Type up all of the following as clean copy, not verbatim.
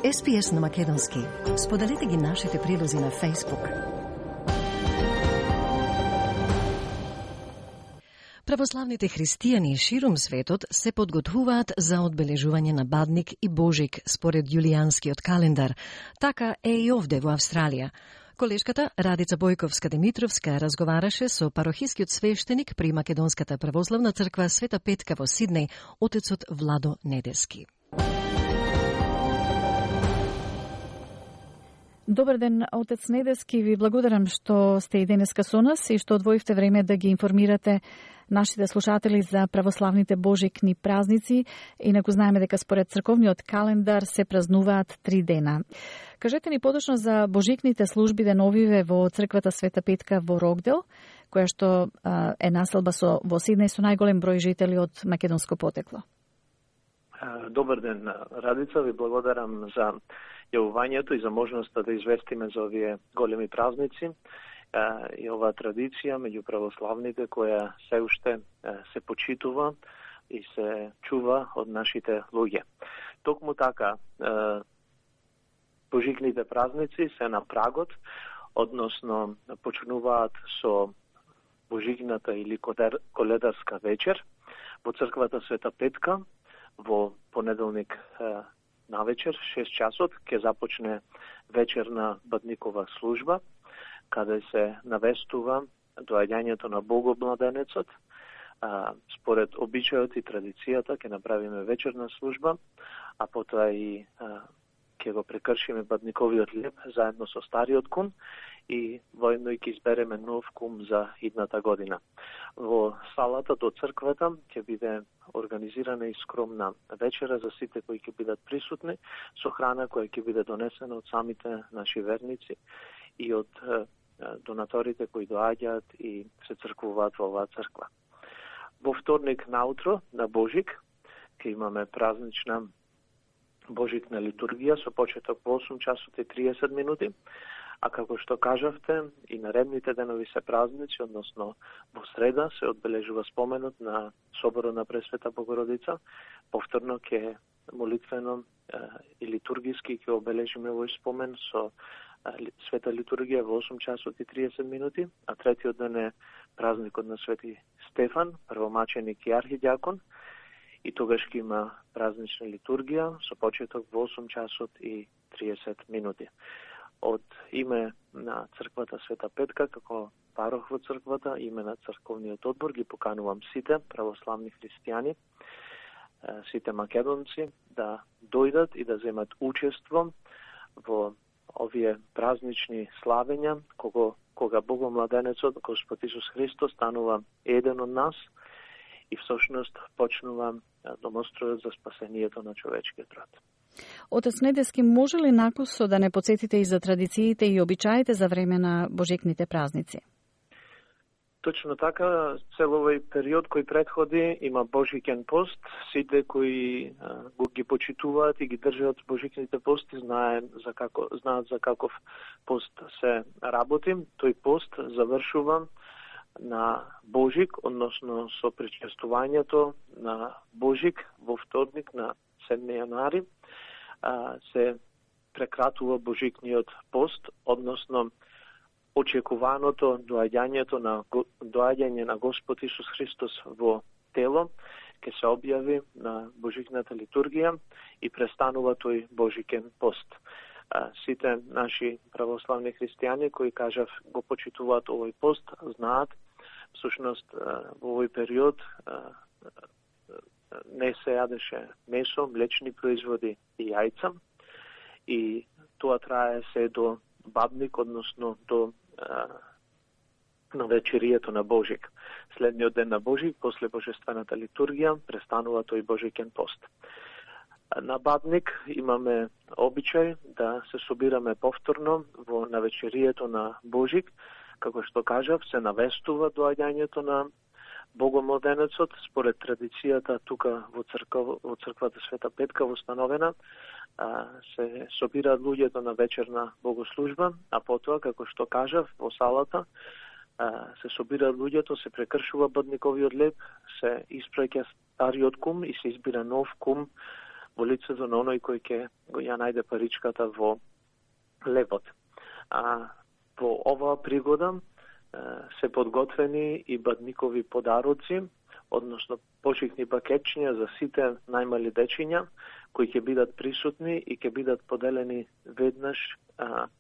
SPS на македонски. Споделете ги нашите прилози на Facebook. Православните христијани ширум светот се подготвуваат за одбележување на Бадник и Божик според јулијанскиот календар. Така е и овде во Австралија. Колешката Радица Бојковска-Димитровска разговараше со парохискиот свештеник при Македонската православна црква Света Петка во Сиднеј, отецот Владо Недески. Добар ден, отец Недески, ви благодарам што сте и денеска со нас и што одвоивте време да ги информирате нашите слушатели за православните божикни празници. Инаку знаеме дека според црковниот календар се празнуваат 3 дена. Кажете ни поточно за божикните служби деновиве во црквата Света Петка во Рокдел, која што е населба во Сиднеј со најголем број жители од македонско потекло. Добар ден, Радица, ви благодарам за јавувањето и за можноста да известиме за овие големи празници и оваа традиција меѓу православните која се уште се почитува и се чува од нашите луѓе. Токму така, божикните празници се на прагот, односно почнуваат со божикната или коледарска вечер во црквата Света Петка. Во понеделник навечер, 6 часот, ќе започне вечерна бадникова служба, каде се навестува доаѓањето на Богомладенецот. Според обичајот и традицијата ќе направиме вечерна служба, а потоа и ќе го прекршиме бадниковиот леп заедно со стариот кум и воедно и ќе избереме нов кум за идната година. Во салата до црквата ќе биде организирана и скромна вечера за сите кои ќе бидат присутни, со храна која ќе биде донесена од самите наши верници и од донаторите кои доаѓаат и се црквуваат во оваа црква. Во вторник наутро, на Божик, ќе имаме празнична божикна литургија со почеток во 8 часот и 30 минути, а како што кажавте, и наредните денови се празници, односно во среда се одбележува споменот на соборот на Пресвета Богородица. Повторно ќе молитвено и литургиски ќе обележиме овој спомен со света литургија во 8 часот и 30 минути, а третиот ден е празникот на Свети Стефан, првомаченик и архидјакон, и тогаш ќе има празнична литургија со почеток во 8 часот и 30 минути. Од име на црквата Света Петка, како парох во црквата, име на црковниот одбор, ги поканувам сите православни христијани, сите македонци, да дојдат и да земат учество во овие празнични славења, кога Богомладенецот, Господ Исус Христос, станува еден од нас и всушност почнува домостројот за спасението на човечкиот род. Отец Недески, може ли накусо да не подсетите и за традициите и обичаите за време на божикните празници? Точно така, цел овој период кој претходи има божикен пост. Сите кои ги почитуваат и ги држат божикните пости знаат за каков пост се работи. Тој пост завршува на Божик, односно со причестувањето на Божик во вторник на 7 јануари. Се прекратува божикниот пост, односно очекуваното доаѓање на Господ Исус Христос во тело ќе се објави на божикната литургија и престанува тој божикен пост. Сите наши православни христијани кои кажав го почитуваат овој пост знаат всушност во овој период не се јадеше месо, млечни производи и јајца и тоа трае се до Бадник, односно до на вечеријето на Божик. Следниот ден на Божик, после божествената литургија, престанува тој божикен пост. На Бадник имаме обичај да се собираме повторно на вечеријето на Божик, како што кажав, се навестува доаѓањето на Богомладенецот, според традицијата тука во црквата Света Петка востановена, се собираат луѓето на вечерна богослужба, а потоа, како што кажав, во салата се собираат луѓето, се прекршува бадниковиот леп, се испраќа стариот кум и се избира нов кум во лицето на оној кој ќе го ја најде паричката во лебот. Во оваа пригода се подготвени и бадникови подароци, односно почитни пакетчиња за сите најмали дечиња, кои ќе бидат присутни и ќе бидат поделени веднаш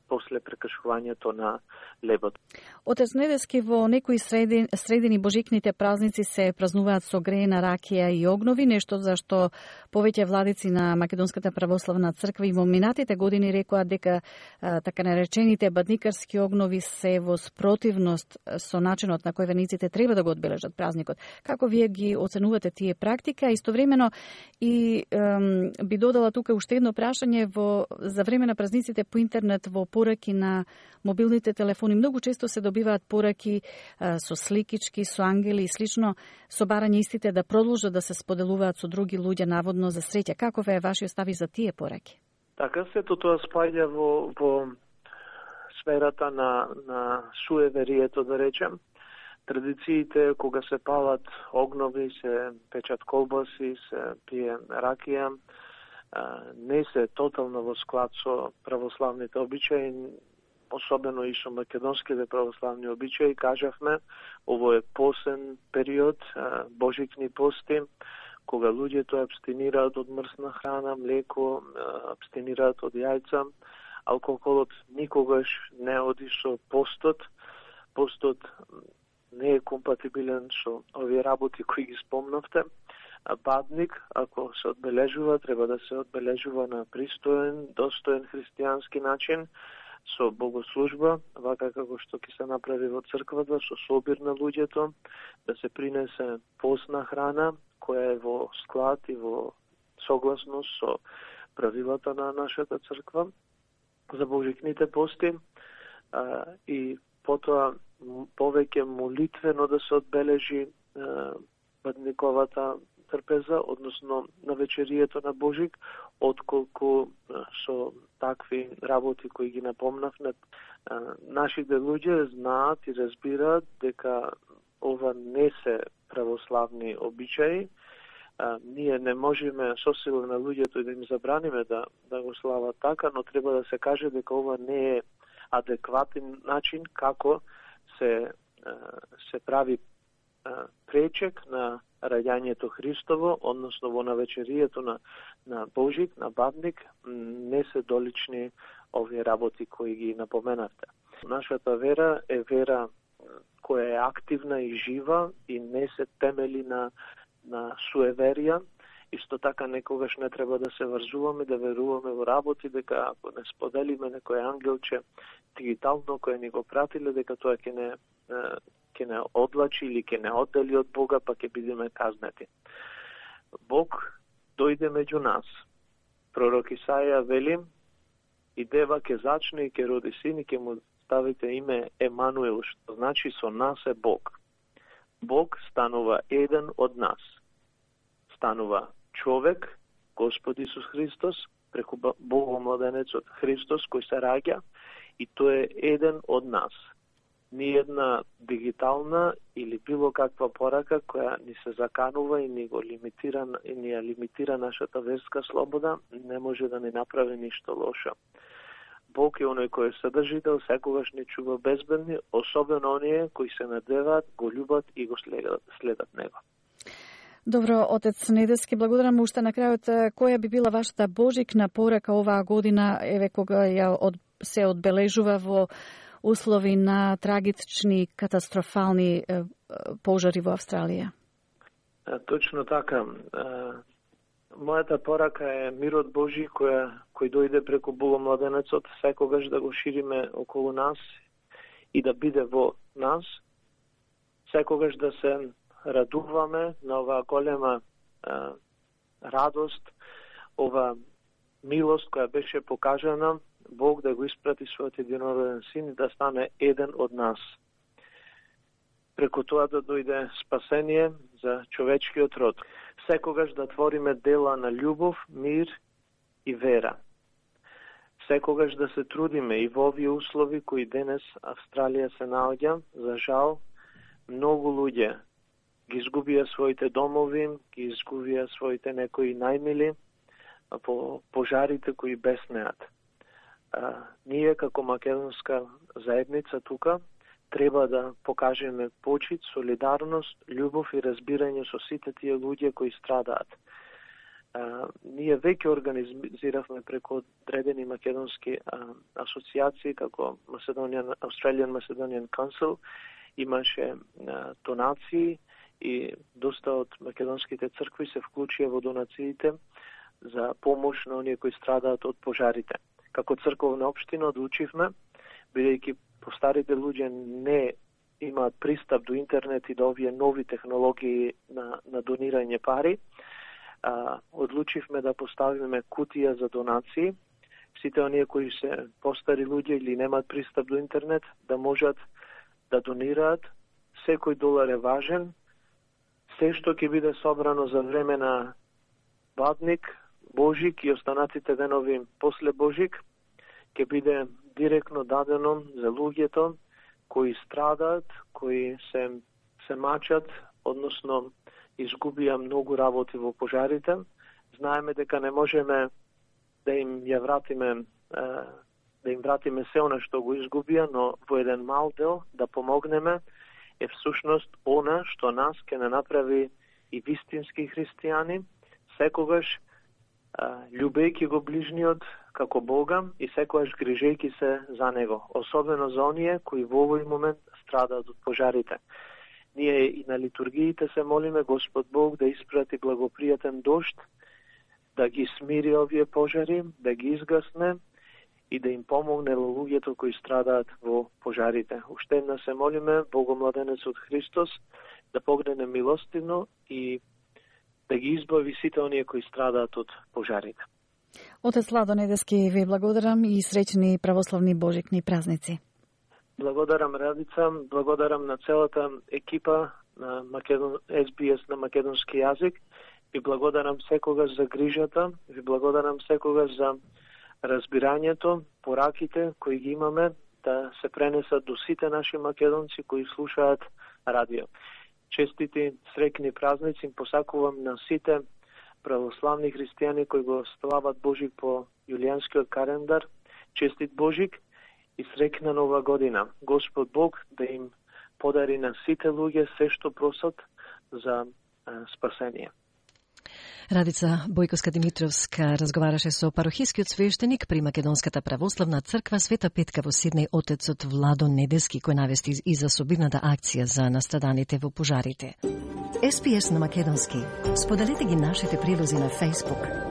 после прекршувањето на лебот. Отец Недески, во некои средини божикните празници се празнуваат со греена ракија и огнови, нешто за што повеќе владици на Македонската православна црква и во минатите години рекоа дека така наречените бадникарски огнови се во спротивност со начинот на кој верниците треба да го одбележат празникот. Како вие ги оценувате тие практика? Истовремено и би додала тука уште едно прашање за време на празниците по интернет, во пораки на мобилните телефони. Многу често се добиваат пораки со сликички, со ангели и слично, со барање истите да продолжат да се споделуваат со други луѓе, наводно за среќа. Каков е вашиот став за тие пораки? Така сето тоа спаѓа во сферата на суеверието, да речем. Традициите, кога се палат огнови, се печат колбаси, се пие ракија, не се тотално во склад со православните обичаи, особено и со македонските православни обичаи. Кажавме, ово е посен период, божикни пости, кога луѓето абстинираат од мрсна храна, млеко, абстинираат од јајца. Алкохолот никогаш не оди со постот. Постот не е компатибилен со овие работи кои ги спомнавте. Бадник, ако се одбележува, треба да се одбележува на пристоен, достоен христијански начин, со богослужба, вака како што ќе се направи во црквата, со собир на луѓето, да се принесе постна храна, која е во склад и во согласност со правилата на нашата црква за божикните пости, и потоа повеќе молитвено да се одбележи бадниковата трпеза, односно на вечерието на Божик, отколку со такви работи кои ги напомнавме. Нашите луѓе знаат и разбираат дека ова не се православни обичаи. Ние не можеме со сила на луѓето и да им забраниме да го слават така, но треба да се каже дека ова не е адекватен начин како се прави пречек на раѓањето Христово, односно во навечерието на Божик, на Бадник, не се долични овие работи кои ги напоменавте. Нашата вера е вера која е активна и жива и не се темели на суеверија. Исто така некогаш не треба да се врзуваме, да веруваме во работи, дека ако не споделиме некој ангелче дигитално кој ни го пратиле, дека тоа ќе не одлачи или ќе не оддели од Бога, па ќе бидеме казнети. Бог дојде меѓу нас. Пророк Исаја вели: и дева ќе зачне и ќе роди син и ќе му ставите име Емануел, што значи со нас е Бог. Бог станува еден од нас. Станува човек, Господ Исус Христос, преку Богомладенецот Христос кој се раѓа, и тој е еден од нас. Ни една дигитална или било каква порака која ни се заканува и ни ја лимитира нашата верска слобода, не може да ни направи ништо лошо. Бог е оној кој е содржител, секогаш ни чува безбедни, особено оние кои се надеваат, го љубат и го следат него. Добро, отец Недески, благодарам уште на крајот. Која би била вашата божикна порака оваа година, еве кога се одбележува во услови на трагични, катастрофални пожари во Австралија? Точно така. Мојата порака е мирот Божи кој дојде преку Богомладенецот, секогаш да го шириме околу нас и да биде во нас, секогаш да се радуваме на оваа голема радост, ова милост која беше покажана, Бог да го испрати својот единороден син и да стане еден од нас. Преку тоа да дојде спасение за човечкиот род. Секогаш да твориме дела на љубов, мир и вера. Секогаш да се трудиме и во овие услови кои денес Австралија се наоѓа. За жал, многу луѓе ги изгубија своите домови, ги изгубија своите некои најмили, во пожарите кои беснеат. Ние како македонска заедница тука треба да покажеме почит, солидарност, љубов и разбирање со сите тие луѓе кои страдаат. Ние веќе организиравме преку одредени македонски асоциации, како Australian Macedonian Council, имаше донации и доста од македонските цркви се вклучија во донациите за помош на оние кои страдаат од пожарите. Како црковна општина одлучивме, бидејќи постарите луѓе не имаат пристап до интернет и до овие нови технологии на донирање пари, одлучивме да поставиме кутија за донации. Сите оние кои се постари луѓе или немаат пристап до интернет, да можат да донираат. Секој долар е важен. Се што ќе биде собрано за време на Бадник, Божик и останатите денови после Божик, ќе биде директно дадено за луѓето кои страдаат, кои се мачат, односно изгубија многу работи во пожарите. Знаеме дека не можеме да им вратиме се она што го изгубија, но во еден мал дел да помогнеме е всушност она што нас ќе не направи и вистински христијани, секогаш љубејќи го ближниот како Бога и секогаш грижејќи се за него, особено за оние кои во овој момент страдаат од пожарите. Ние и на литургиите се молиме Господ Бог да испрати благопријатен дожд, да ги смири овие пожари, да ги изгасне и да им помогне луѓето кои страдаат во пожарите. Уште една се молиме Богомладенецот Христос да погрене милостивно и да ги избави сите оние кои страдаат од пожарите. Отец Владо Недески, ви благодарам и среќни православни божикни празници. Благодарам Радица, благодарам на целата екипа на SBS на македонски јазик. Ви благодарам секогаш за грижата, ви благодарам секогаш за разбирањето, пораките кои ги имаме да се пренесат до сите наши македонци кои слушаат радио. Честити среќни празници им посакувам на сите православни христијани кои го слават Божик по јулијанскиот календар. Честит Божик и среќна нова година. Господ Бог да им подари на сите луѓе се што просат за спасение. Радица Бојковска-Димитровска разговараше со парохискиот свештеник при Македонската православна црква Света Петка во Сиднеј, отецот Владо Недески, кој навести и за собивната акција за настраданите во пожарите. SPS на македонски. Споделете ги нашите прилози на Facebook.